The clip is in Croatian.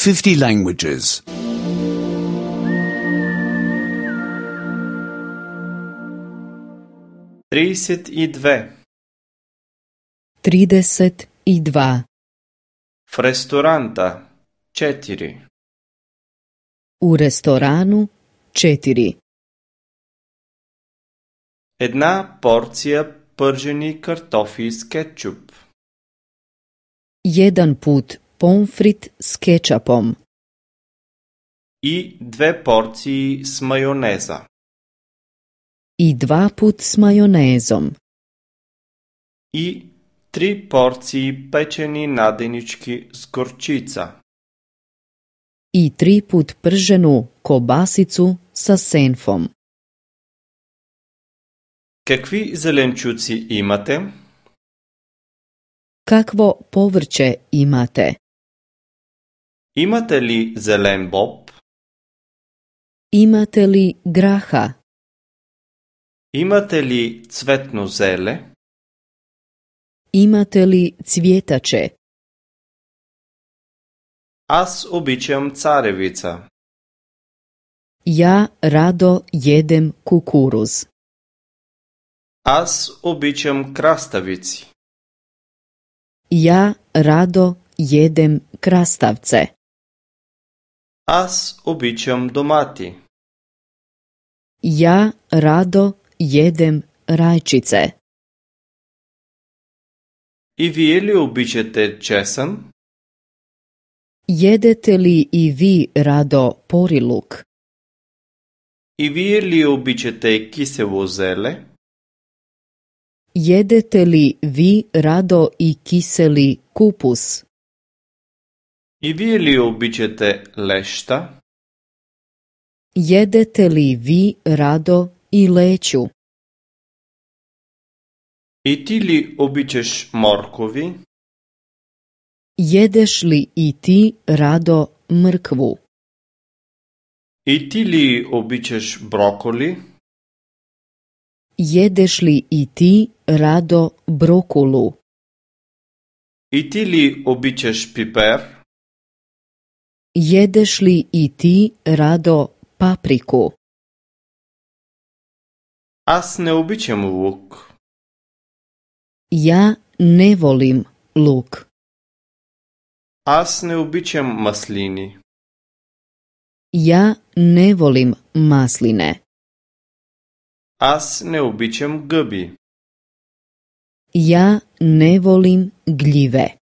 50 languages. 32. 32. В ресторанта 4. U restoranu 4. Една порция пържени картофи с кетчуп. Jedan put pomfrit s kečapom. И 2 порции с майонеза. I 2 put s majonezom. И 3 порции печени наденички с горчица. I 3 put prženu kobasicu sa senfom. Какви зеленчуци имате? Kakvo povrće imate? Имате ли зелен боб? Imate li graha? Имате ли цветно зеле? Imate li cvjetače? Аз обичам царевица. Ja rado jedem kukuruz. Аз обичам краставици. Ja rado jedem krastavce. Аз обичам домати. Ja rado jedem rajčice. И вие ли обичате чесън? Jedete li i vi rado poriluk? И вие ли обичате кисело зеле? Jedete li vi rado i kiseli kupus? И вие ли обичате леща? Jedete li vi rado i leću? И ти ли обичаш моркови? Jedeš li i ti rado mrkvu? И ти ли обичаш броколи? Jedeš li i ti rado brokulu? И ти ли обичаш пипер? Jedeš li i ti rado papriku? Аз не обичам лук. Ja ne volim luk. Аз не обичам маслини. Ja ne volim masline. Аз не обичам гъби. Ja ne volim gljive.